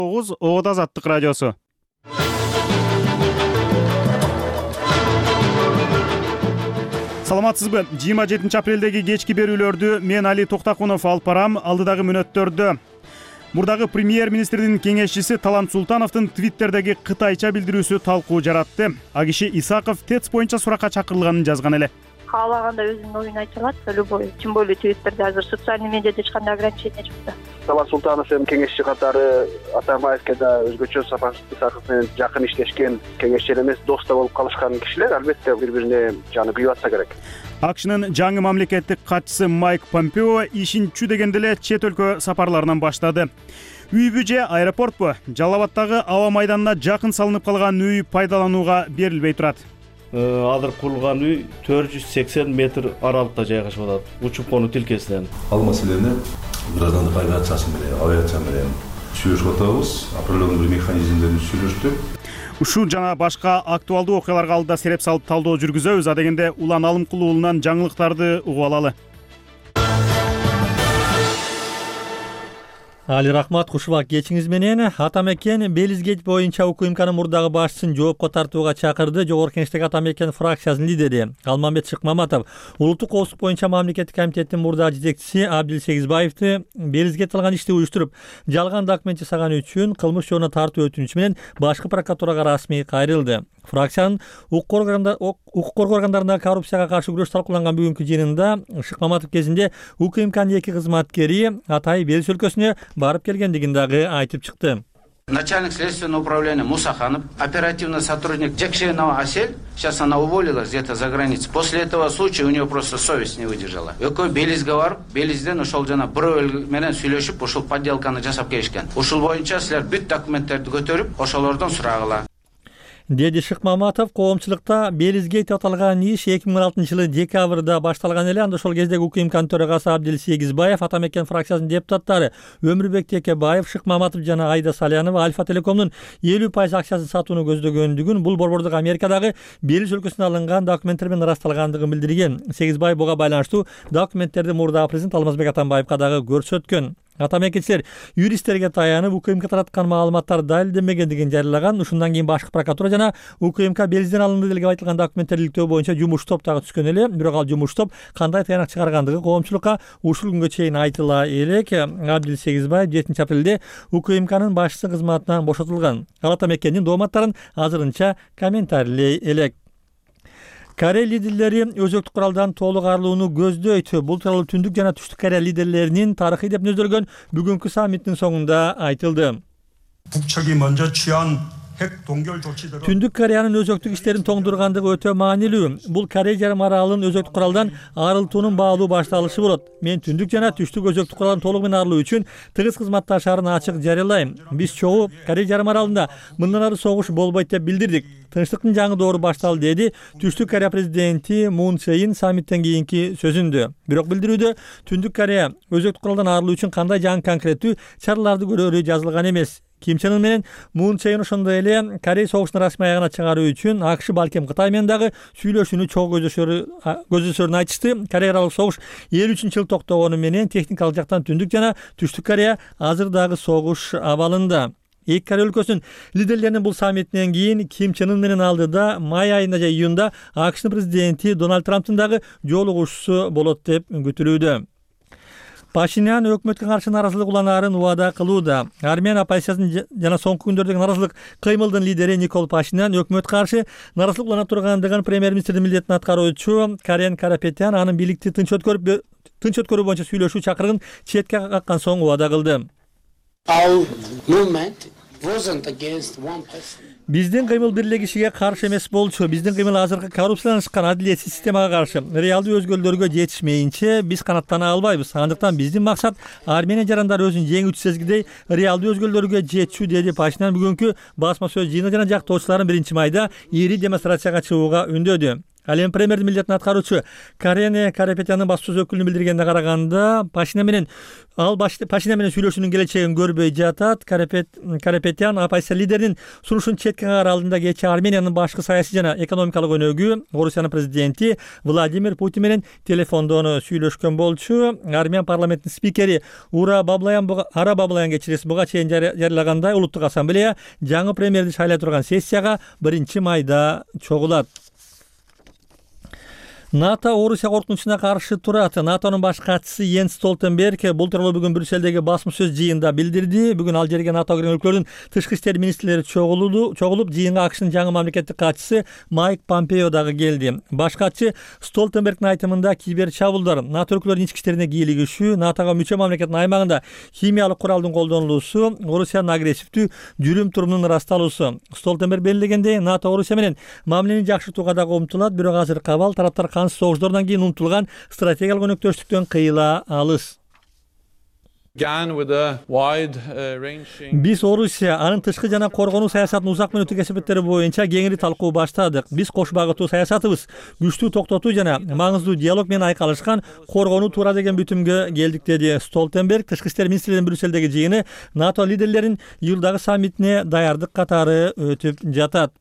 Оот Азаттык радиосу. Саламатсызбы? 27 апрелдеги кечки берүүлөрдү мен Али Токтакунов алып барам. Алдыдагы мүнөттөрдө мурдагы премьер-министрдин кеңешчиси Талант Султановдун Твиттердеги кытайча билдирүүсү талкуу жаратты. А киши Исаков ТЭЦ боюнча суракка чакырылганын жазган эле. Каалаганда өзүнүн оюн айта алат, любой, тем более Твиттерде азыр социальный медиада эч кандай ограничение жок да. Талант Султанов эми кеңешчи катары Атамбаевке да өзгөчө Исаков менен жакын иштешкен кеңешчи эмес, дос да болуп калышкан кишилер, албетте бири-бирине жаны күйүп атса керек. АКШнын жаңы мамлекеттик катчысы Майк Помпео ишин чү дегенде эле чет өлкө сапарларынан баштады. Үйбү же аэропортпу? Жалал Абаддагы аба майданына жакын салынып калган үй пайдаланууга берилбей турат. Азыр курулган үй 480 метр аралыкта жайгашып атат, учуп конуу тилкесинен. Ал маселени граждандык авиация менен сүйлөшүп атабыз, определенный бир механизмдерин сүйлөштүк. Ушул жана башка актуалдуу окуяларга алдыда сереп салып талдоо жүргүзөбүз. А дегенде Улан Алымкул уулунан жаңылыктарды угуп алалы. Али рахмат, кушубак кечиңиз менен. Атамекен Белизгейт боюнча УКМКнын мурдагы башчысын жоопко тартууга чакырды. Жогорку Кеңештеги Атамекен фракциясынын лидери Алмамбет Шыкмаматов улуттук коопсуздук боюнча мамлекеттик комитеттин мурдагы жетекчиси Абдил Сегизбаевди Белизгейт кылган ишти уюштуруп, жалган документ жасаганы үчүн кылмыш жолуна тартуу өтүнүчү менен башкы прокуратурага расмий кайрылды. Фракциянын укук коргоо органдарында коррупцияга каршы күрөш талкууланган бүгүнкү жыйынында Шыкмаматов кезинде УКМКнын 2 кызматкери Атай Белиз өлкөсүнө барып келгендигин дагы айтып чыкты. Начальник следственного управления Мусаханов, оперативный сотрудник Джекшенова Асель, сейчас она уволилась где-то за границей. После этого случая у нее просто совесть не выдержала. Экой Белизге барып, Белизден ушул жана бирөө менен сүйлөшүп, ушул подделканы жасап келишкен. Ушул боюнча силер бүт документтерди көтөрүп, ошолордон сурагыла. Деди Шыкмаматов, коомчулукта Белизгейт аталган иш 2016-жылы декабрда башталган эле. Анда ошол кездеги УКМКнын төрагасы Абдил Сегизбаев, Атамекен фракциясынын депутаттары Өмүрбек Текебаев, Шыкмаматов жана Айда Салянова Альфа Телекомдун 50% акчасын сатууну көздөгөндүгүн, бул борбордук Америкадагы Белиз өлкөсүнөн алынган документтер менен ырасталгандыгын билдирген. Сегизбаев буга байланыштуу документтерди мурдагы президент Алмазбек Атамбаевга дагы көрсөткөн. Атамекенчилер юристтерге таянып УКМК тараткан маалыматтар далилденбегендигин жарыялаган. Ушундан кийин башкы прокуратура жана УКМК Белизден алынды деп айтылган документтерди иликтөө боюнча жумуш топ дагы түшкөн эле. Бирок ал жумуш топ кандай таянак чыгаргандыгы коомчулукка ушул күнгө чейин айтыла элек. Абдил Сегизбаев 7 апрелде УКМКнын башчысы кызматынан бошотулган. Ал Атамекендин дооматтарын азырынча комментарийлей элек. Корея лидерлери өзөктүк куралдан толук арылууну көздөйт. Бул тууралуу Түндүк жана Түштүк Корея лидерлеринин тарыхый деп нөзөлгөн бүгүнкү саммиттин соңунда айтылды. Түндүк Кореянын өзөктүк иштерин тоңдургандыгы өтө маанилүү. Бул Корея жарым аралынын өзөктүк куралдан арылтуунун баалуу башталышы болот. Мен Түндүк жана Түштүк өзөктүк куралдан толугу менен арылуу үчүн тыгыз кызматташарын ачык жарыялайм. Биз чогуу Корея жарым аралында мындан ары согуш болбойт деп билдирдик. Тынчтыктын жаңы доору башталды, деди Түштүк Корея президенти Мун Чжэ-ин саммиттен кийинки сөзүндө. Бирок билдирүүдө Түндүк Корея өзөктүк куралдан арылуу үчүн кандай жаңы конкреттүү чараларды көрөрү жазылган эмес. Ким Чен Ын менен Мун Чжэ-ин ошондой эле Корея согушун расмий аягына чыгаруу үчүн АКШ балким Кытай менен дагы сүйлөшүүнү чогуу көздөшөрүн айтышты. Корея аралык согуш 53-жылы токтогону менен техникалык жактан Түндүк жана Түштүк Корея азыр дагы согуш абалында. Эки Корея өлкөсүнүн лидерлеринин бул саммитинен кийин Ким Чен Ын менен алдыда май айында же июнда АКШнын президенти Дональд Трамптын дагы жолугушуусу болот деп күтүлүүдө. Пашинян өкмөткө каршы наразылык уланаарын убада кылууда. Армян оппозициясынын жана соңку күндөрдөгү наразылык кыймылдын лидери Никол Пашинян өкмөткө каршы наразылык уланып тургандыгын премьер-министрдин милдетин аткаруучу Карен Карапетян анын бийликти тынч өткөрүү боюнча сүйлөшүү чакырыгын четке каккан соң убада кылды. Биздин кыймыл бир эле кишиге каршы эмес болчу. Биздин кыймыл азыркы коррупцияланышкан адилетсиз системага каршы. Реалдуу өзгөрүүлөргө жетишмейинче биз канаттана албайбыз. Андыктан биздин максат Армения жарандары өзүн жеңүүчү сезгидей реалдуу өзгөрүүлөргө жетүү, деди Пашинян бүгүнкү басма сөз жыйыны жана жактоочуларын 1 майда ири демонстрацияга чыгууга үндөдү. Ал эми премьердин милдетин аткаруучу Карене Карапетянын баспасөз өкүлүнө билдиргенине караганда, Пашинян менен сүйлөшүүнүн келечегин көрбөй жатат. Карапетян оппозиция лидеринин сунушун четке кагар алдында кечээ Армениянын башкы саясий жана экономикалык өнөгү Орусиянын президенти Владимир Путин менен телефондон сүйлөшкөн болчу. Армян парламентинин спикери Ара Баблаян буга чейин жарыялагандай, улуттук ассамблея жаңы премьерди шайлай турган сессияга 1-майда чогулат. НАТО Орусия коркунучуна каршы турат. НАТОнун баш катчысы Йенс Столтенберг бул тууралуу бүгүн Брюссельдеги басма сөз жыйынында билдирди. Бүгүн ал жерге НАТО кирген өлкөлөрдүн тышкы иштер министрлери чогулуп, жыйынга АКШнын жаңы мамлекеттик катчысы Майк Помпео дагы келди. Баш катчы Столтенбергдин айтымында кибер чабуулдар, НАТО өлкөлөрүнүн ички иштерине кийлигишүү, НАТОга мүчө мамлекеттин аймагында химиялык куралдын колдонулуусу, Орусиянын агрессивдүү жүрүм турумунун ырасталуусу. Столтенберг белгилегендей, НАТО Орусия менен мамилени жакшыртууга дагы умтулат, бирок азыр кабал тараптар согуштардан кийин умтулган стратегиялык өнөктөштүктөн кыйыла алыс. Биз Орусия анын тышкы жана коргонуу саясатынын узак мөөнөттүк эсептери боюнча кеңири талкуу баштадык. Биз кош багыттуу саясатыбыз күчтүү токтотуу жана маңыздуу диалог менен айкалышкан коргонуу туура деген бүтүмгө келдик, деди Столтенберг. Тышкы иштер министрлеринин Брюссельдеги жыйыны НАТО лидерлеринин июлдагы саммитине даярдык катары өтүп жатат.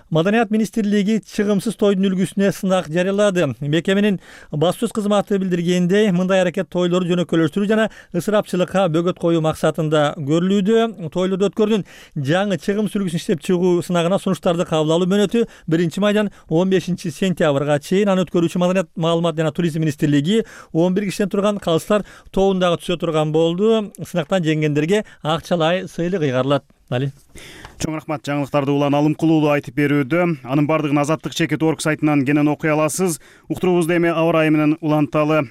Маданият министрлиги чыгымсыз тойдун үлгүсүнө сынак жарыялады. Мекеменин баспасөз кызматы билдиргендей, мындай аракет тойлорду жөнөкөйлөштүрүү жана ысырапчылыкка бөгөт коюу максатында көрүлүүдө. Тойлорду өткөрүүнүн жаңы чыгымсыз үлгүсүн иштеп чыгуу сынагына сунуштарды кабыл алуу мөөнөтү 1-майдан 15-сентябрга чейин. Аны өткөрүүчү Маданият, маалымат жана туризм министрлиги 11 кишиден турган калыстар тобундагы түсө турган болду. Сынактан жеңгендерге акчалай сыйлык ыйгарылат. Чоң рахмат, жаңылыктарды улан алымкулуулуу айтып берүүдө. Анын бардыгын Азаттык Чекит.org сайтынан кенен окуй аласыз. Уктуруубузду эми аба ырайы менен уланталы.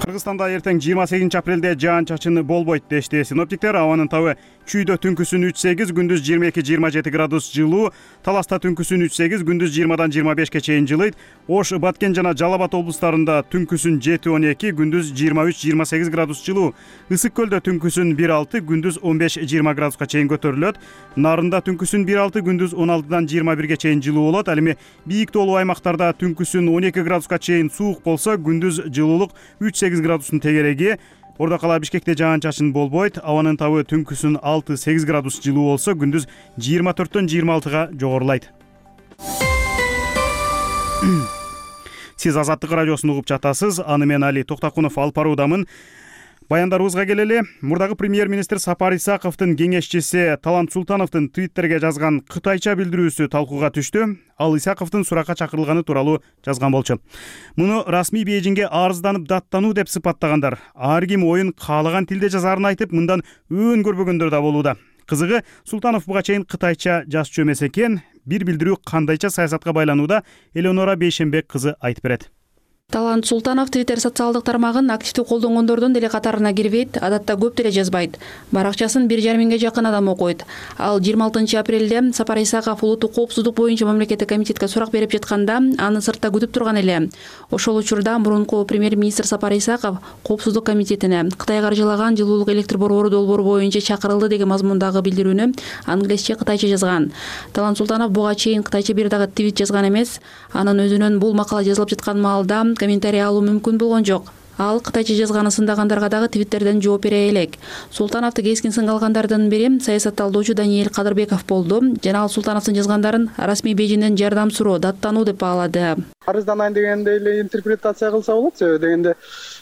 Кыргызстанда эртең 28 апрелде жаан-чачын болбойт дешти синоптиктер. Абанын табы чүйдө түнкүсүн 3-8, күндүз 22-27 градус жылуу, Таласта түнкүсүн 3-8, күндүз 20-дан 25-ке чейин жылыйт. Ош, Баткен жана Жалал Абад облустарында түнкүсүн 7-12, күндүз 23-28 градус жылуу. Ысык көлдө түнкүсүн 1-6, күндүз 15-20 градуска чейин көтөрүлөт. Нарында түнкүсүн 1-6, күндүз 16-дан 21-ге чейин жылуу болот. Ал эми бийик тоолуу аймактарда түнкүсүн 12 градуска чейин суук болсо, күндүз жылуулук 3-8 градустун тегереги. Ордо кала Бишкекте жаан-чачын болбойт. Абанын табы түнкүсүн 6-8 градус жылуу болсо, күндүз 24-төн 26-га жогорулайт. Сиз Азаттык радиосун угуп жатасыз. Аны мен Али Токтакунов алып баруудамын. Баяндарыбызга келели. Мурдагы премьер-министр Сапар Исаковдун кеңешчиси Талант Султановдун Твиттерге жазган кытайча билдирүүсү талкууга түштү. Ал Исаковдун суракка чакырылганы тууралуу жазган болчу. Муну расмий Бейжиңге арызданып даттануу деп сыпаттагандар. Ар ким оюн каалаган тилде жазарын айтып, мындан өөн көрбөгөндөр да болууда. Кызыгы, Султанов буга чейин кытайча жазчу эмес экен. Бир билдирүү кандайча саясатка байланууда, Элеонора Бейшенбек кызы айтып берет. Талант Султанов Твиттер социалдык тармагын активдүү колдонгондордун деле катарына кирбейт, адатта көп деле жазбайт. Баракчасын 1,5 миңге жакын адам окуйт. Ал 26 апрелде Сапар Исаков улуттук коопсуздук боюнча мамлекеттик комитетке сурак берип жатканда, аны сыртта күтүп турган эле. Ошол учурда мурунку премьер-министр Сапар Исаков коопсуздук комитетине Кытай каржылаган жылуулук электр борбору долбоору боюнча чакырылды деген мазмундагы билдирүүнү англисче, кытайча жазган. Талант Султанов буга чейин кытайча бир дагы твит жазган эмес. Анын өзүнүн бул макала жазылып жаткан маалда комментарий алуу мүмкүн болгон жок. Ал кытайча жазганы сындагандарга дагы Твиттерден жооп бере элек. Султановду кескин сынга алгандардын бири саясатталдоочу Даниэль Кадырбеков болду. Жана ал Султановдун жазгандарын расмий Бейжиңден жардам суроо, даттануу деп баалады. Арызданайын дегенде эле интерпретация кылса болот, себеби дегенде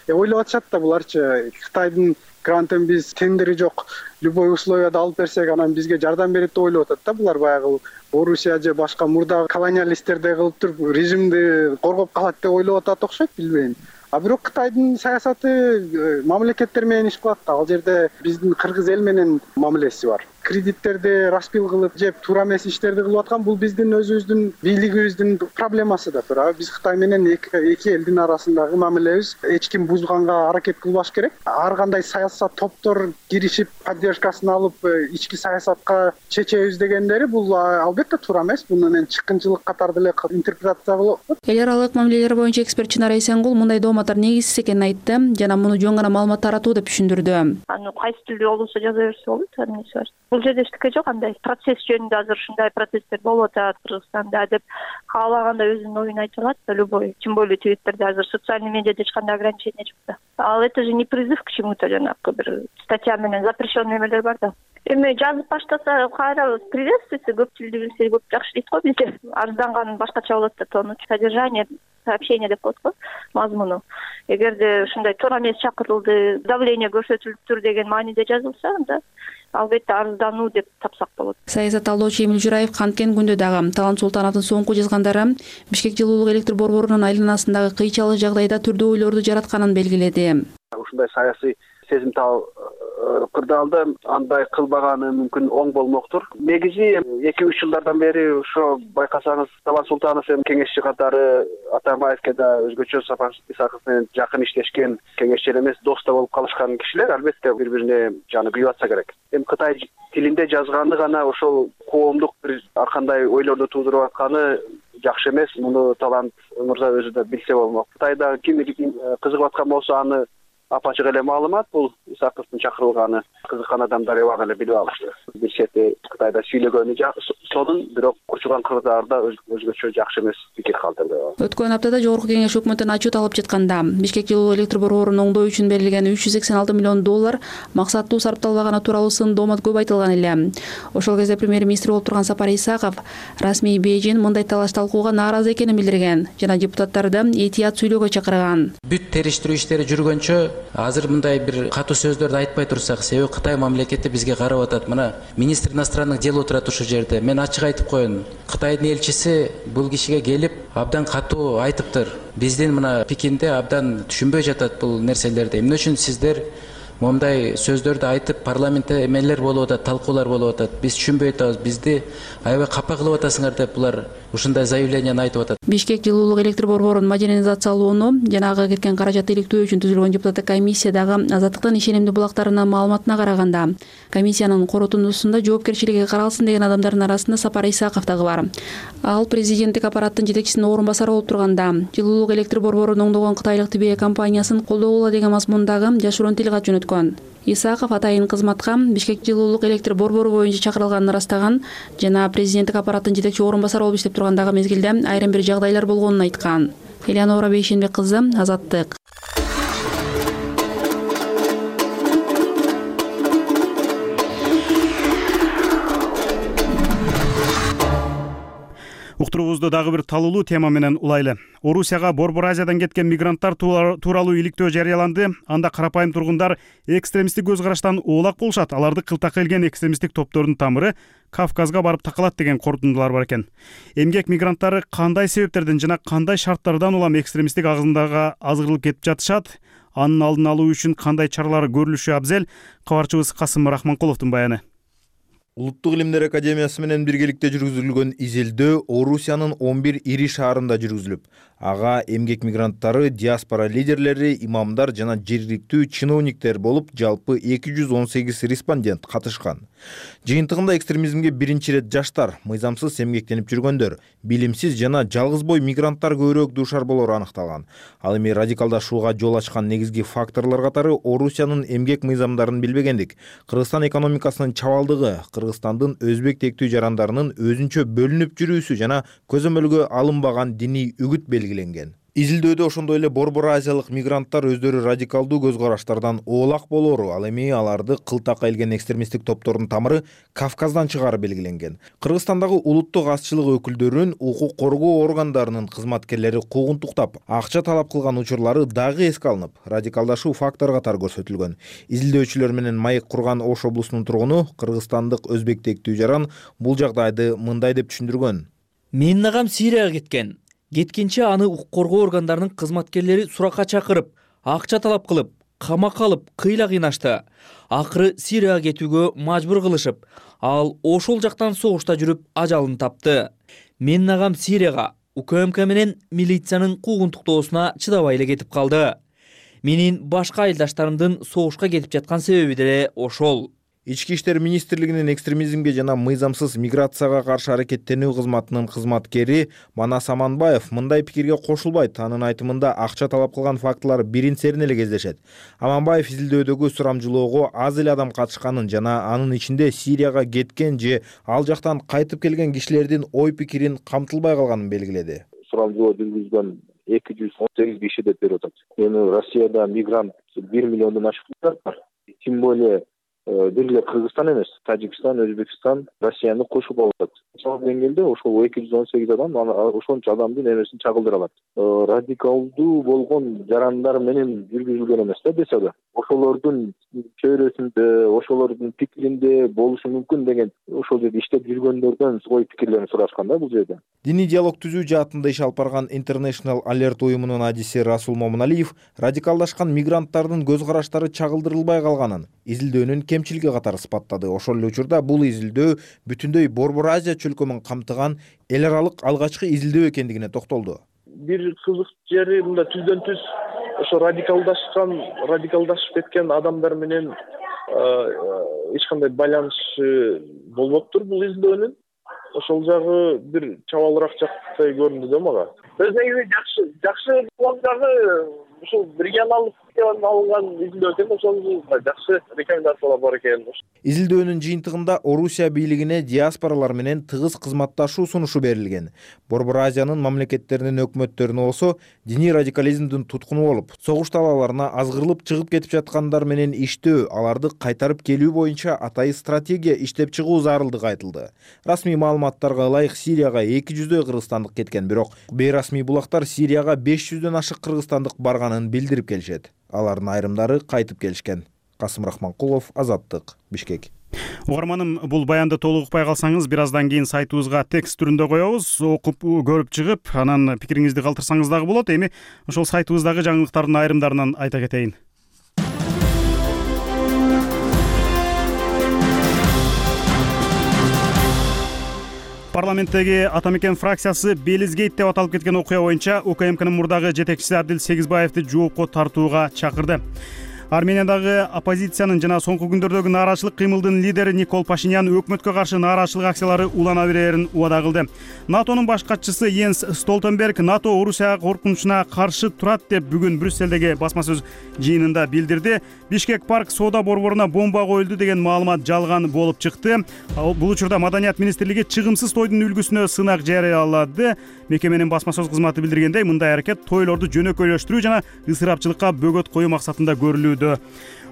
ойлоп атышат да буларчы. Кытайдын грантын биз тендери жок, любой условияда алып берсек, анан бизге жардам берет деп ойлоп атат да. Булар баягы Орусия же башка мурда колониалисттердей кылып туруп режимди коргоп калат деп ойлоп атат окшойт, билбейм. А бирок Кытайдын саясаты мамлекеттер менен иш кылат да. Ал жерде биздин кыргыз эл менен мамилеси бар. Кредиттерди распил кылып жеп, туура эмес иштерди кылып аткан бул биздин өзүбүздүн бийлигибиздин проблемасы да тура. Биз Кытай менен эки элдин арасындагы мамилебиз эч ким бузганга аракет кылбаш керек. Ар кандай саясат топтор киришип, поддержкасын алып, ички саясатка чечебиз дегендери бул албетте туура эмес. Бул менен чыккынчылык катары деле интерпретация болот. Эл аралык мамилелер боюнча эксперт Чынар Эсенгул мындай дооматтар негизсиз экенин айтты жана муну жөн гана маалымат таратуу деп түшүндүрдү. Аны кайсы тилде болсо жаза берсе болот, эмнеси бар. Бул бул жерде эчтеке жок, андай процесс жөнүндө азыр ушундай процесстер болуп атат Кыргызстанда деп каалагандай өзүнүн оюн айта алат да любой. Тем более Твиттерде азыр социальный медиада эч кандай ограничение жок да. Ал это же не призыв к чему-то, жанагы бир статья менен запрещенный эмелер бар да. Эми жазып баштаса кайра приветствуется, көп тилди билсе көп жакшы дейт го бизде. Арызданган башкача болот да, тонуч содержание сообщение деп коет го, мазмуну. Эгерде ушундай туура эмес чакырылды, давление көрсөтүлүптүр деген мааниде жазылса, анда албетте арыздануу деп тапсак болот. Саясат талдоочу Эмил Жураев канткен күндө дагы Талант Султановдун соңку жазгандары Бишкек жылуулук электр борборунун айланасындагы кыйчалык жагдайда түрдүү ойлорду жаратканын белгиледи. Ушундай саясий сезимтал кырдаалда андай кылбаганы мүмкүн оң болмоктур. Негизи 2-3 жылдардан бери ошо байкасаңыз Талант Султанов эми кеңешчи катары Атамбаевке да өзгөчө Сапар Исаков менен жакын иштешкен, кеңешчи эмес дос да болуп калышкан кишилер албетте бири-бирине жаны күйүп атса керек. Эми Кытай тилинде жазганды гана ошол коомдук бир ар кандай ойлорду туудуруп атканы жакшы эмес. Муну Талант мырза өзү да билсе болмок. Кытайда ким кызыгып аткан болсо аны апачык эле маалымат, бул Исаковдун чакырылганы кызыккан адамдар эбак эле билип алышты. Бир чети Кытайда сүйлөгөнү сонун, бирок учурган кырдаалда өзгөчө жакшы эмес пикир калтырды. Өткөн аптада Жогорку Кеңеш өкмөттөн отчет алып жатканда Бишкек жылуу электр борборун оңдоо үчүн берилген $386 миллион максаттуу сарпталбаганы тууралуу сын доомат көп айтылган эле. Ошол кезде премьер-министр болуп турган Сапар Исаков расмий Бейжин мындай талаш талкууга нааразы экенин билдирген жана депутаттарды этият сүйлөөгө чакырган. Бүт териштирүү иштери жүргөнчө азыр мындай бир катуу сөздөрдү айтпай турсак, себеби Кытай мамлекети бизге карап атат. Мына министр иностранных дел отурат ушул жерде. Мен ачык айтып коеюн. Кытайдын элчиси бул кишиге келип абдан катуу айтыптыр. Биздин мына Пекинде абдан түшүнбөй жатат бул нерселерди. Эмне үчүн сиздер мондай сөздөрдү айтып парламентте эмелер болуп атат, талкуулар болуп атат. Биз түшүнбөй атабыз. Бизди аябай капа кылып атасыңар деп булар ушундай заявленияны айтып атат. Бишкек жылуулук электр борборун модернизациялоону жана ага кеткен каражатты иликтөө үчүн түзүлгөн депутаттык комиссия дагы Азаттыктын ишенимдүү булактарынын маалыматына караганда комиссиянын коротундусунда жоопкерчилиги каралсын деген адамдардын арасында Сапар Исаков дагы бар. Ал президенттик аппараттын жетекчисинин орун басары болуп турганда жылуулук электр борборун оңдогон кытайлык ТБ компаниясын колдогула деген мазмундагы жашыруун тилгат жөнөткөн. Исаков атайын кызматка Бишкек жылуулук электр борбору боюнча чакырылганын ырастаган жана президенттик аппараттын жетекчи орун басары болуп иштеп тургандагы мезгилде айрым бир жагдайлар болгонун айткан. Элеонора Бейшенбек кызы, Азаттык. Уктуруубузду дагы бир талуулуу тема менен улайлы. Орусияга Борбор Азиядан кеткен мигранттар тууралуу иликтөө жарыяланды. Анда карапайым тургундар экстремисттик көз караштан оолак болушат. Аларды кылтакка илген экстремисттик топтордун тамыры Кавказга барып такалат деген корутундулар бар экен. Эмгек мигранттары кандай себептерден жана кандай шарттардан улам экстремисттик агымдарга азгырылып кетип жатышат? Анын алдын алуу үчүн кандай чаралар көрүлүшү абзел? Кабарчыбыз Касым Рахманкуловдун баяны. Улуттук илимдер академиясы менен биргеликте жүргүзүлгөн изилдөө Орусиянын 11 ири шаарында жүргүзүлүп, ага эмгек мигранттары, диаспора лидерлери, имамдар жана жергиликтүү чиновниктер болуп жалпы 218 респондент катышкан. Жыйынтыгында экстремизмге биринчи ирет жаштар, мыйзамсыз эмгектенип жүргөндөр, билимсиз жана жалгызбой мигранттар көбүрөөк дуушар болору аныкталган. Ал эми радикалдашууга жол ачкан негизги факторлор катары Орусиянын эмгек мыйзамдарын билбегендик, Кыргызстан экономикасынын чабалдыгы, Кыргызстандын өзбек тектүү жарандарынын өзүнчө бөлүнүп жүрүүсү жана көзөмөлгө алынбаган диний үгүт белгиленген. Изилдөөдө ошондой эле Борбор Азиялык мигранттар өздөрү радикалдуу көз караштардан оолак болору, ал эми аларды кылтакка илген экстремисттик топтордун тамыры Кавказдан чыгаары белгиленген. Кыргызстандагы улуттук азчылык өкүлдөрүнүн, укук коргоо органдарынын кызматкерлери куугунтуктап, акча талап кылган учурлары дагы эске алынып, радикалдашуу фактор катары көрсөтүлгөн. Изилдөөчүлөр менен маек курган Ош облусунун тургуну, кыргызстандык өзбек тектүү жаран бул жагдайды мындай деп түшүндүргөн. Менин агам Сирияга кеткен. Кеткенче аны укук коргоо органдарынын кызматкерлери суракка чакырып, акча талап кылып, камакка алып, кыйла кыйнашты. Акыры Сирияга кетүүгө мажбур кылышып, ал ошол жактан согушта жүрүп ажалын тапты. Менин агам Сирияга УКМК менен милициянын куугунтуктоосуна чыдабай эле кетип калды. Менин башка айылдаштарымдын согушка кетип жаткан себеби деле ошол. Ички иштер министрлигинин экстремизмге жана мыйзамсыз миграцияга каршы аракеттенүү кызматынын кызматкери Манас Аманбаев мындай пикирге кошулбайт. Анын айтымында акча талап кылган фактылар бирин-серин эле кездешет. Аманбаев изилдөөдөгү сурамжылоого аз эле адам катышканын жана анын ичинде Сирияга кеткен же ал жактан кайтып келген кишилердин ой пикирин камтылбай калганын белгиледи. Сурамжылоо жүргүзгөн 218 киши деп берип атат. Эми Россияда мигрант 1 миллиондон ашык бар. Тем более бир эле Кыргызстан эмес, Тажикстан, Өзбекстан Россияны кошуп алып атат. Ошол деңгээлде ошол 218 адам ошончо адамдын эмесин чагылдыра алат. Радикалдуу болгон жарандар менен жүргүзүлгөн эмес да бесада. Ошолордун чөйрөсүндө, ошолордун пикиринде болушу мүмкүн деген ошол жерде иштеп жүргөндөрдөн ой пикирлерин сурашкан да бул жерде. Диний диалог түзүү жаатында иш алып барган International Alert уюмунун адиси Расул Момуналиев радикалдашкан мигранттардын көз караштары чагылдырылбай калганын, изилдөөнүн кемчилиги катары сыпаттады. Ошол эле учурда бул изилдөө бүтүндөй Борбор Азия чөлкөмүн камтыган эл аралык алгачкы изилдөө экендигине токтолду. Бир кызык жери мында түздөн түз ошо радикалдашып кеткен адамдар менен эч кандай байланышы болбоптур бул изилдөөнүн. Ошол жагы бир чабалыраак жактай көрүндү да мага. Өз негизи жакшы болгон жагы ушул регионалдык алынган изилдөө экен, ошол жакшы рекомендациялар бар экен. Изилдөөнүн жыйынтыгында Орусия бийлигине диаспоралар менен тыгыз кызматташуу сунушу берилген. Борбор Азиянын мамлекеттеринин өкмөттөрүнө болсо диний радикализмдин туткуну болуп, согуш талааларына азгырылып чыгып кетип жаткандар менен иштөө, аларды кайтарып келүү боюнча атайын стратегия иштеп чыгуу зарылдыгы айтылды. Расмий маалыматтарга ылайык Сирияга 200 кыргызстандык кеткен, бирок бейрасмий булактар Сирияга 500дөн ашык кыргызстандык барганын билдирип келишет. Алардын айрымдары кайтып келишкен. Касым Рахманкулов, Азаттык, Бишкек. Угарманым, бул баянды толук укпай калсаңыз, бир аздан кийин сайтыбызга текст түрүндө коебуз. Окуп көрүп чыгып, анан пикириңизди калтырсаңыз дагы болот. Эми ошол сайтыбыздагы жаңылыктардын айрымдарынан айта кетейин. Парламенттеги Атамекен фракциясы Белизгейт деп аталып кеткен окуя боюнча УКМКнын мурдагы жетекчиси Абдил Сегизбаевди жоопко тартууга чакырды. Армениядагы оппозициянын жана соңку күндөрдөгү нааразычылык кыймылдын лидери Никол Пашинян өкмөткө каршы нааразычылык акциялары улана берерин убада кылды. НАТОнун баш катчысы Йенс Столтенберг НАТО Орусия коркунучуна каршы турат деп бүгүн Брюссельдеги басма сөз жыйынында билдирди. Бишкек парк соода борборуна бомба коюлду деген маалымат жалган болуп чыкты. Бул учурда Маданият министрлиги чыгымсыз тойдун үлгүсүнө сынак жарыялады. Мекеменин басма сөз кызматы билдиргендей, мындай аракет тойлорду жөнөкөйлөштүрүү жана ысырапчылыкка бөгөт коюу максатында көрүлүүдө.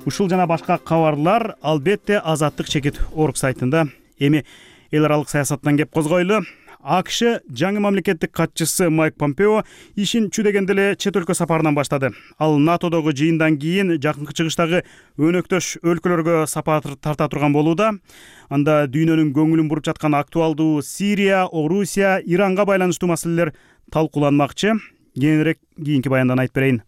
Ушул жана башка кабарлар албетте Азаттык чекит орг сайтында. Эми эл аралык саясаттан кеп козгойлу. АКШ жаңы мамлекеттик катчысы Майк Помпео ишин чүдөгөндө эле чет өлкө сапарынан баштады. Ал НАТОдогу жыйындан кийин жакынкы чыгыштагы өнөктөш өлкөлөргө сапар тарта турган болууда. Анда дүйнөнүн көңүлүн буруп жаткан актуалдуу Сирия, Орусия, Иранга байланыштуу маселелер талкууланмакчы. Кийинирээк кийинки баяндан айтып берейин.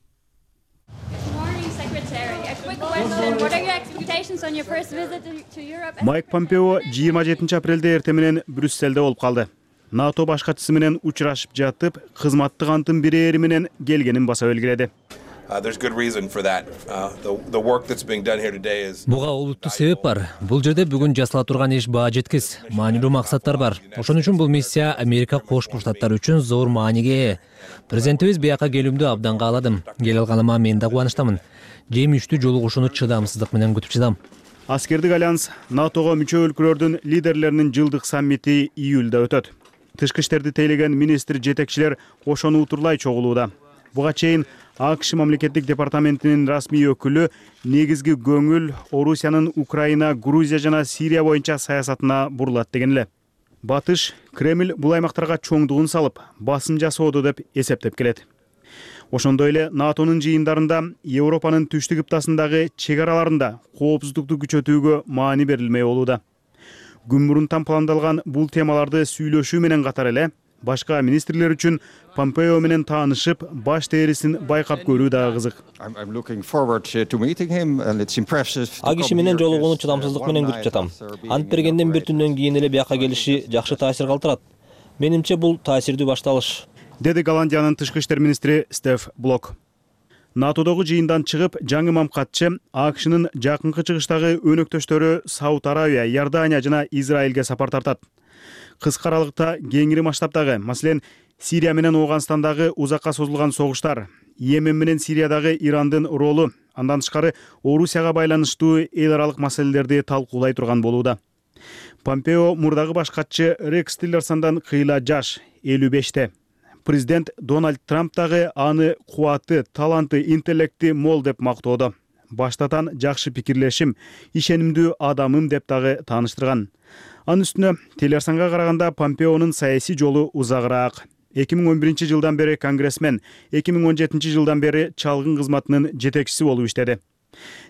Майк Помпео 27 апрелде эртең менен Брюссельде болуп калды. НАТО баш катчысы менен учурашып жатып, кызматтык антын бирээри менен келгенин баса белгиледи. Буга олуттуу себеп бар. Бул жерде бүгүн жасала турган иш баа жеткис, маанилүү максаттар бар. Ошон үчүн бул миссия Америка Кошмо Штаттары үчүн зор мааниге ээ. Президентибиз бияка келүүмдү абдан кааладым. Келе алганыма мен да кубанычтамын. Жемиштүү жолугушууну чыдамсыздык менен күтүп жатам. Аскердик альянс НАТОго мүчө өлкөлөрдүн лидерлеринин жылдык саммити июлда өтөт. Тышкы иштерди тейлеген министр жетекчилер ошону утурлай чогулууда. Буга чейин АКШ мамлекеттик департаментинин расмий өкүлү негизги көңүл Орусиянын Украина, Грузия жана Сирия боюнча саясатына бурулат деген эле. Батыш Кремль бул аймактарга чоңдугун салып, басым жасоодо деп эсептеп келет. Ошондой эле НАТОнун жыйындарында Европанын түштүк ыптасындагы чек араларында коопсуздукту күчөтүүгө маани берилмей болууда. Күн мурун пландалган бул темаларды сүйлөшүү менен катар эле башка министрлер үчүн Помпео менен таанышып, баш терисин байкап көрүү дагы кызык. АКШ менен жолугууну чыдамсыздык менен күтүп жатам. Ант бергенден бир түндөн кийин эле бияка келиши жакшы таасир калтырат. Менимче бул таасирдүү башталыш, деди Голландиянын тышкы иштер министри Стеф Блок. НАТОдогу жыйындан чыгып, жаңы мамкатчы АКШнын жакынкы чыгыштагы өнөктөштөрү Сауд Арабия, Иордания жана Израилге сапар тартат. Кыска аралыкта кеңири масштабтагы, маселен, Сирия менен Ооганстандагы узакка созулган согуштар, Йемен менен Сириядагы Ирандын ролу, андан тышкары Орусияга байланыштуу эл аралык маселелерди талкуулай турган болууда. Помпео мурдагы баш катчы Рекс Тиллерсондон кыйла жаш, 55-те. Президент Дональд Трамп дагы аны кубаты, таланты, интеллекти мол деп мактоодо. Баштатан жакшы пикирлешим, ишенимдүү адамым деп дагы тааныштырган. Анын үстүнө Тиллерсонго караганда Помпеонун саясий жолу узагыраак. 2011 жылдан бери конгрессмен, 2017 жылдан бери чалгын кызматынын жетекчиси болуп иштеди.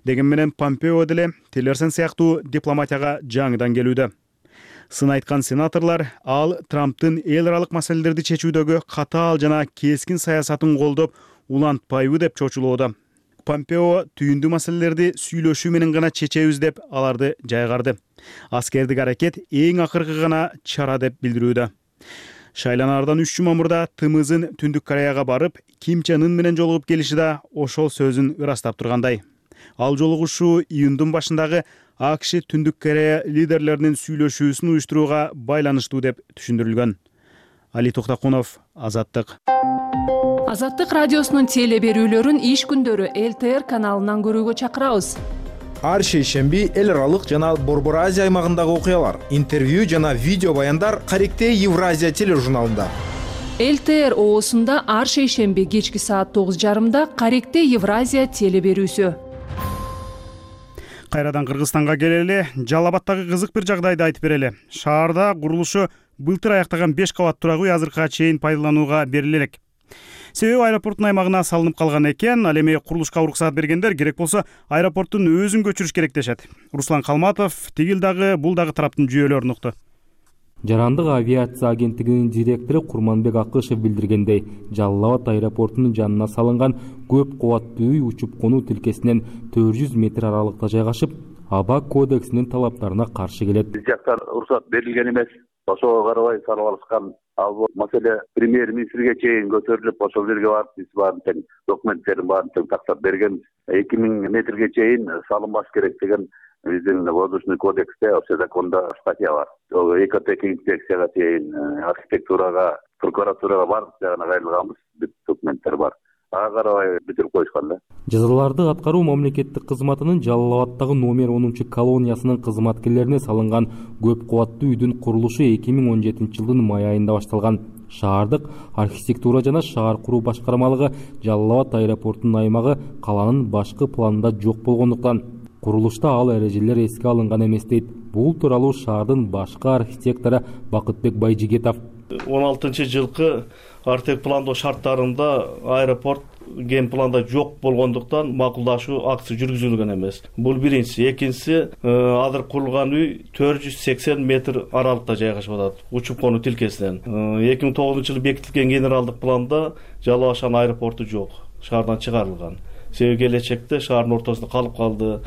Деген менен Помпео деле Тиллерсон сыяктуу дипломатияга жаңыдан келүүдө. Сын айткан сенаторлор ал Трамптын эл аралык маселелерди чечүүдөгү катаал жана кескин саясатын колдоп улантпайбы деп чочулоодо. Помпео түйүндүү маселелерди сүйлөшүү менен гана чечебиз деп аларды жайгарды. Аскердик аракет эң акыркы гана чара деп билдирүүдө. Шайланаардан 3 жума мурда ТМЗын Түндүк Кореяга барып, Ким Чен Ын менен жолугуп келиши да ошол сөзүн ырастап тургандай. Ал жолугушуу июндун башындагы АКШ Түндүк Корея лидерлеринин сүйлөшүүсүн уюштурууга байланыштуу деп түшүндүрүлгөн. Али Токтакунов, Азаттык. Азаттык радиосунун теле берүүлөрүн иш күндөрү ЛТР каналынан көрүүгө чакырабыз. Ар шейшемби эл аралык жана Борбор Азия аймагындагы окуялар, интервью жана видео баяндар Каректе Евразия тележурналында. ЛТР оосунда ар шейшемби кечки саат 9:30 Каректе Евразия теле берүүсү. Кайрадан Кыргызстанга келели, Жалал Абаддагы кызык бир жагдайды айтып берели. Шаарда курулушу былтыр аяктаган 5 кабат турак үй азыркыга чейин пайдаланууга бериле элек. Себеби аэропорттун аймагына салынып калган экен, ал эми курулушка уруксат бергендер керек болсо аэропорттун өзүн көчүрүш керек дешет. Руслан Калматов тигил дагы бул дагы тараптын жүйөлөрүн укту. Жарандык авиация агенттигинин директору Курманбек Акышев билдиргендей, Жалал Абад аэропортунун жанына салынган көп кубаттуу үй учуп конуу тилкесинен 400 метр аралыкта жайгашып, аба кодексинин талаптарына каршы келет. Биз жактан уруксат берилген эмес. Ошого карабай салып алышкан. Ал бул маселе премьер-министрге чейин көтөрүлүп, ошол жерге барып биз баарын тең документтерин баарын тең тактап берген. 2000 метрге чейин салынбаш керек деген биздин воздушный кодексте, ошо законда статья бар. Ол ЭКТК инспекцияга чейин, архитектурага, прокуратурага бардык жагына кайрылганбыз, бүт документтер бар. Ага карабай бүтүрүп коюшкан да. Жазаларды аткаруу мамлекеттик кызматынын Жалал Абаддагы номер 10 колониясынын кызматкерлерине салынган көп кубаттуу үйдүн курулушу 2017 жылдын май айында башталган. Шаардык архитектура жана шаар куруу башкармалыгы Жалал Абад аэропортунун аймагы каланын башкы планында жок болгондуктан курулушта ал эрежелер эске алынган эмес дейт. Бул тууралуу шаардын башкы архитектору Бакытбек Байжигетов. 16-жылкы артек пландоо шарттарында аэропорт ген планда жок болгондуктан макулдашуу акты жүргүзүлгөн эмес. Бул биринчиси. Экинчиси, азыр курулган үй 480 метр аралыкта жайгашып атат, учуп конуу тилкесинен. 2009 жылы бекитилген генералдык планда Жалал Абад аэропорту жок, шаардан чыгарылган. Себеби келечекте шаардын ортосунда калып калды,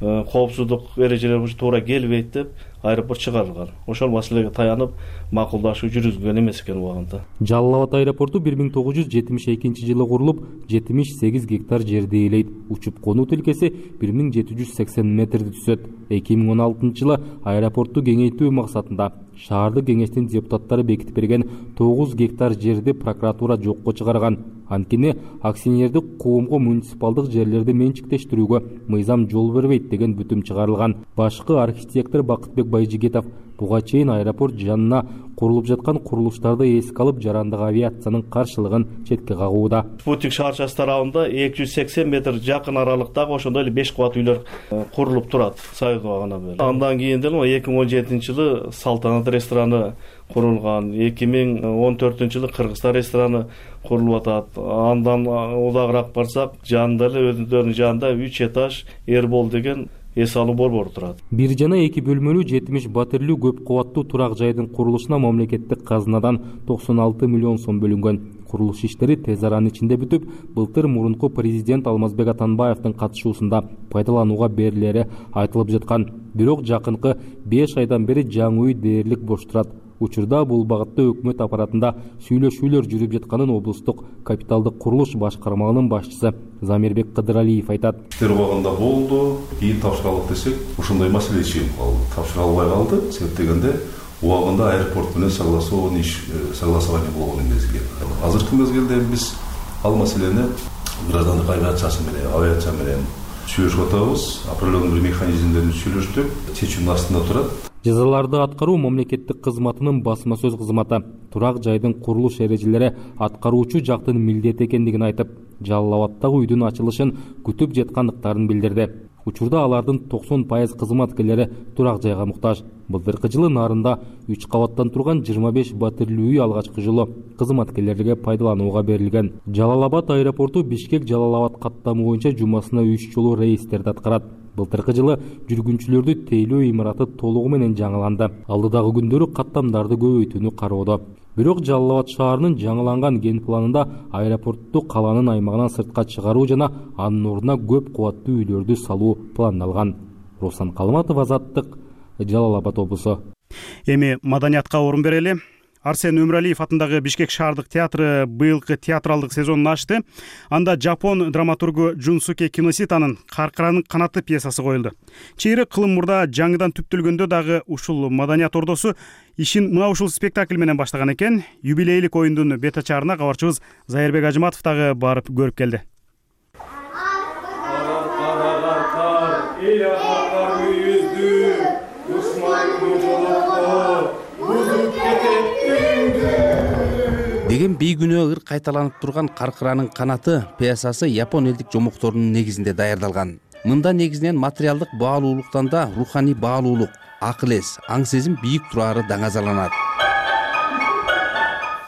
коопсуздук эрежелери туура келбейт деп аэропорт чыгарылган. Ошол маселеге таянып макулдашуу жүргүзүлгөн эмес экен убагында. Жалал Абад аэропорту 1972 жылы курулуп, 78 гектар жерди ээлейт. Учуп конуу тилкеси 1780 метрди түзөт. 2016 жылы аэропортту кеңейтүү максатында шаардык кеңештин депутаттары бекитип берген 9 гектар жерди прокуратура жокко чыгарган. Анткени акционердик коомго муниципалдык жерлерди менчиктештирүүгө мыйзам жол бербейт деген бүтүм чыгарылган. Башкы архитектор Бакытбек Байжигетов буга чейин аэропорт жанына курулуп жаткан курулуштарды эске алып, жарандык авиациянын каршылыгын четке кагууда. Спутник шаарчасы тарабында 280 метр жакын аралыктагы ошондой эле 5 кубат үйлөр курулуп турат, Союз убагынан бери. Андан кийин деле 2017 жылы Салтанат рестораны курулган, 2014 жылы Кыргызстан рестораны курулуп атат. Андан удагыраак барсак, жанында эле өзүнүн жанында 3 этаж Эрбол деген эс алуу борбору турат. 1 жана 2 бөлмөлүү 70 батирлүү көп кубаттуу турак жайдын курулушуна мамлекеттик казынадан 96 миллион сом бөлүнгөн. Курулуш иштери тез аранын ичинде бүтүп, былтыр мурунку президент Алмазбек Атамбаевдин катышуусунда пайдаланууга берилери айтылып жаткан. Бирок жакынкы 5 айдан бери жаңы үй дээрлик бош турат. Учурда бул багытта өкмөт аппаратында сүйлөшүүлөр жүрүп жатканын облустук капиталдык курулуш башкармалыгынын башчысы Замирбек Кыдыралиев айтат. Иштер убагында болду, кийин тапшыралык десек, ошондой маселе чыгып калды. Тапшыра албай калды, себеп дегенде убагында аэропорт менен согласование болгон мезгил. Азыркы мезгилде биз ал маселени граждандык авиация менен сүйлөшүп атабыз. Определенный бир механизмдерди сүйлөштүк, чечүүнүн астында турат. Жазаларды аткаруу мамлекеттик кызматынын басма сөз кызматы турак жайдын курулуш эрежелери аткаруучу жактын милдети экендигин айтып, Жалал Абадтагы үйдүн ачылышын күтүп жаткандыктарын билдирди. Учурда алардын 90% кызматкерлери турак жайга муктаж. Былтыркы жылы нарында 3 кабаттан турган 25 батирлүү үй алгачкы жолу кызматкерлерге пайдаланууга берилген. Жалал Абад аэропорту Бишкек Жалал Абад каттамы боюнча жумасына 3 жолу рейстерди аткарат. Былтыркы жылы жүргүнчүлөрдү тейлөө имараты толугу менен жаңыланды. Алдыдагы күндөрү каттамдарды көбөйтүүнү кароодо. Бирок Жалал Абад шаарынын жаңыланган ген планында аэропортту каланын аймагынан сыртка чыгаруу жана анын ордуна көп кубаттуу үйлөрдү салуу пландалган. Руслан Калматов, Азаттык, Жалал Абад облусу. Эми маданиятка орун берели. Арсен Өмүралиев атындагы Бишкек шаардык театры быйылкы театралдык сезонун ачты. Анда жапон драматургу Джунсуке Киноситанын Каркыранын канаты пьесасы коюлду. Чейрек кылым мурда жаңыдан түптөлгөндө дагы ушул маданият ордосу ишин мына ушул спектакль менен баштаган экен. Юбилейлик оюндун бет ачаарына кабарчыбыз Зайырбек Ажыматов дагы барып көрүп келди. Деген бейгүнөө ыр кайталанып турган Каркыранын канаты пьесасы япон элдик жомокторунун негизинде даярдалган. Мында негизинен материалдык баалуулуктан да руханий баалуулук, акыл эс, аң сезим бийик турары даңазаланат.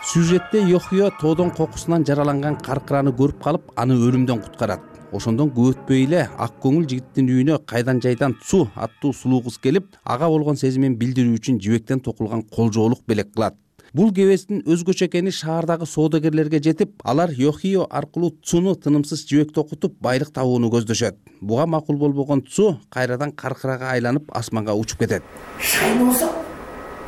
Сюжетте Йохио тоодон кокусунан жараланган Каркыраны көрүп калып, аны өлүмдөн куткарат. Ошондон көп өтпөй эле ак көңүл жигиттин үйүнө кайдан жайдан Цу аттуу сулуу кыз келип, ага болгон сезимин билдирүү үчүн жибектен токулган колжоолук белек кылат. Бул кебестин өзгөчө экени шаардагы соодагерлерге жетип, алар Йохио аркылуу Цуну тынымсыз жибекте окутуп байлык табууну көздөшөт. Буга макул болбогон Цу кайрадан Каркырага айланып асманга учуп кетет. Шайны болсо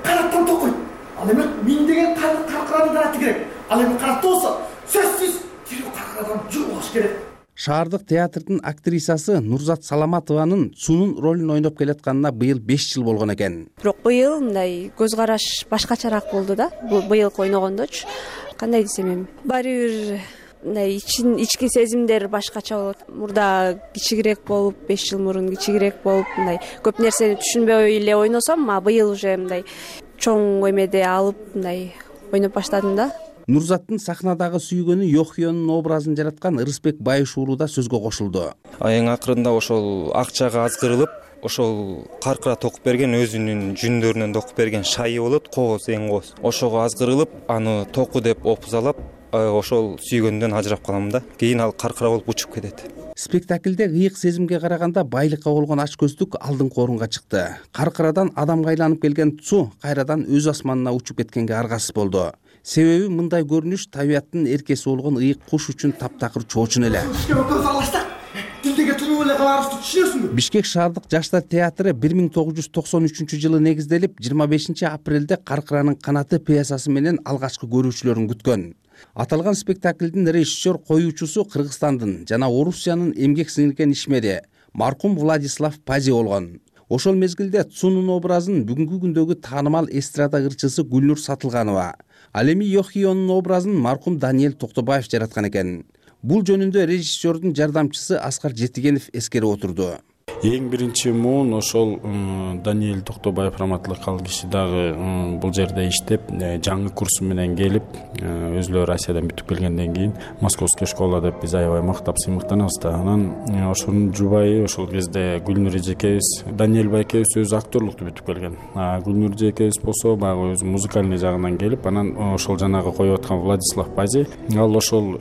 канаттан токойт. Ал эми миңдеген Каркыранын канаты керек. Ал эми канатта болсо сөзсүз тирүү Каркырадан жугуш керек. Шаардык театрдын актрисасы Нурзат Саламатованын Цунун ролун ойноп келатканына быйыл 5 жыл болгон экен. Бирок быйыл мындай көз караш башкачараак болду да. Быйылкы ойногондочу. Кандай десем эми, баары бир мындай ички сезимдер башкача болот. Мурда кичигирээк болуп, 5 жыл мурун кичигирээк болуп, мындай көп нерсени түшүнбөй эле ойносом, быйыл уже мындай чоң эмеде алып, мындай ойноп баштадым да. Нурзаттын сахнадагы сүйгөнү Йохионун образын жараткан Ырысбек Байышуулу да сөзгө кошулду. Эң акырында ошол акчага азгырылып, ошол Каркыра токуп берген өзүнүн жүндөрүнөн токуп берген шайы болот, кооз, эң кооз. Ошого азгырылып, аны току деп опузалап, ошол сүйгөндөн ажырап калам да. Кийин ал Каркыра болуп учуп кетет. Спектаклде ыйык сезимге караганда байлыкка болгон ачкөздүк алдыңкы орунга чыкты. Каркырадан адамга айланып келген Цу кайрадан өз асманына учуп кеткенге аргасыз болду. Себеби мындай көрүнүш табияттын эркеси болгон ыйык куш үчүн таптакыр чоочун эле. Бишкек шаардык жаштар театры 1993-жылы негизделип, 25-апрелде Каркыранын канаты пьесасы менен алгачкы көрүүчүлөрүн күткөн. Аталган спектаклдин режиссер коюучусу Кыргызстандын жана Орусиянын эмгек сиңирген ишмери маркум Владислав Пази болгон. Ошол мезгилде Цунун образын бүгүнкү күндөгү таанымал эстрада ырчысы Гүлнур Сатылганова, ал эми Йохионун образын маркум Даниэль Токтобаев жараткан экен. Бул жөнүндө режиссердун жардамчысы Аскар Жетигенов эскерип отурду. Эң биринчи муун ошол Даниэль Токтобаев раматтылык киши дагы бул жерде иштеп, жаңы курсу менен келип, өзүлөрү Россиядан бүтүп келгенден кийин Московский школа деп биз аябай мактап сыймыктанабыз да. Анан ошонун жубайы ошол кезде Гүлнур эжекебиз, Даниэль байкебиз өзү актерлукту бүтүп келген. Гүлнур эжекебиз болсо баягы өзү музыкальный жагынан келип, анан ошол жанагы коюп аткан Владислав Пази, ал ошол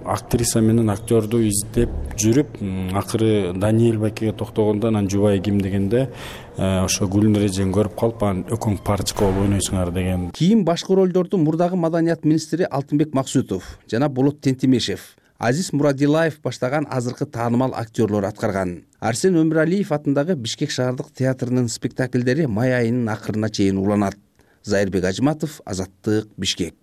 актриса менен актёрду издеп жүрүп, акыры Даниэль байкеге токтогондо анан жубайы ким дегенде ошо Гүлнур эжени көрүп калып, анан экөөң парочка болуп ойнойсуңар деген. Кийин башкы ролдорду мурдагы маданият министри Алтынбек Максутов жана Болот Тентимешев, Азиз Мурадилаев баштаган азыркы таанымал актерлор аткарган. Арсен Өмүралиев атындагы Бишкек шаардык театрынын спектаклдери май айынын акырына чейин уланат. Зайырбек Ажыматов, Азаттык, Бишкек.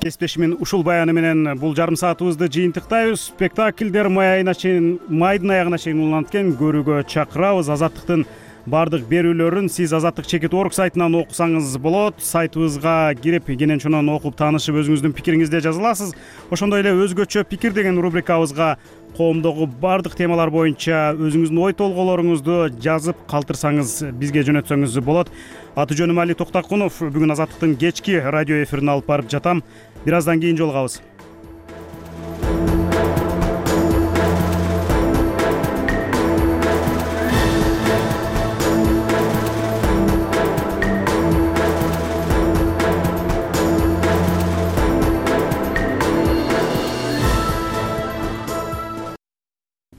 Кесиптешимин ушул баяны менен бул жарым саатыбызды жыйынтыктайбыз. Спектакльдер майдын аягына чейин уланат экен. Көрүүгө чакырабыз. Азаттыктын бардык берүүлөрүн сиз Азаттык чекит орг сайтынан окусаңыз болот. Сайтыбызга кирип, кенен чонон окуп таанышып, өзүңүздүн пикириңизди жаза аласыз. Ошондой эле өзгөчө пикир деген рубрикабызга коомдогу бардык темалар боюнча өзүңүздүн ой толгоолоруңузду жазып калтырсаңыз бизге жөнөтсөңүз болот. Аты жөнүм Али Токтакунов. Бүгүн Азаттыктын кечки радио эфирин алып барып жатам. Бир аздан кийин жолугабыз.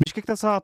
Бишкекте саат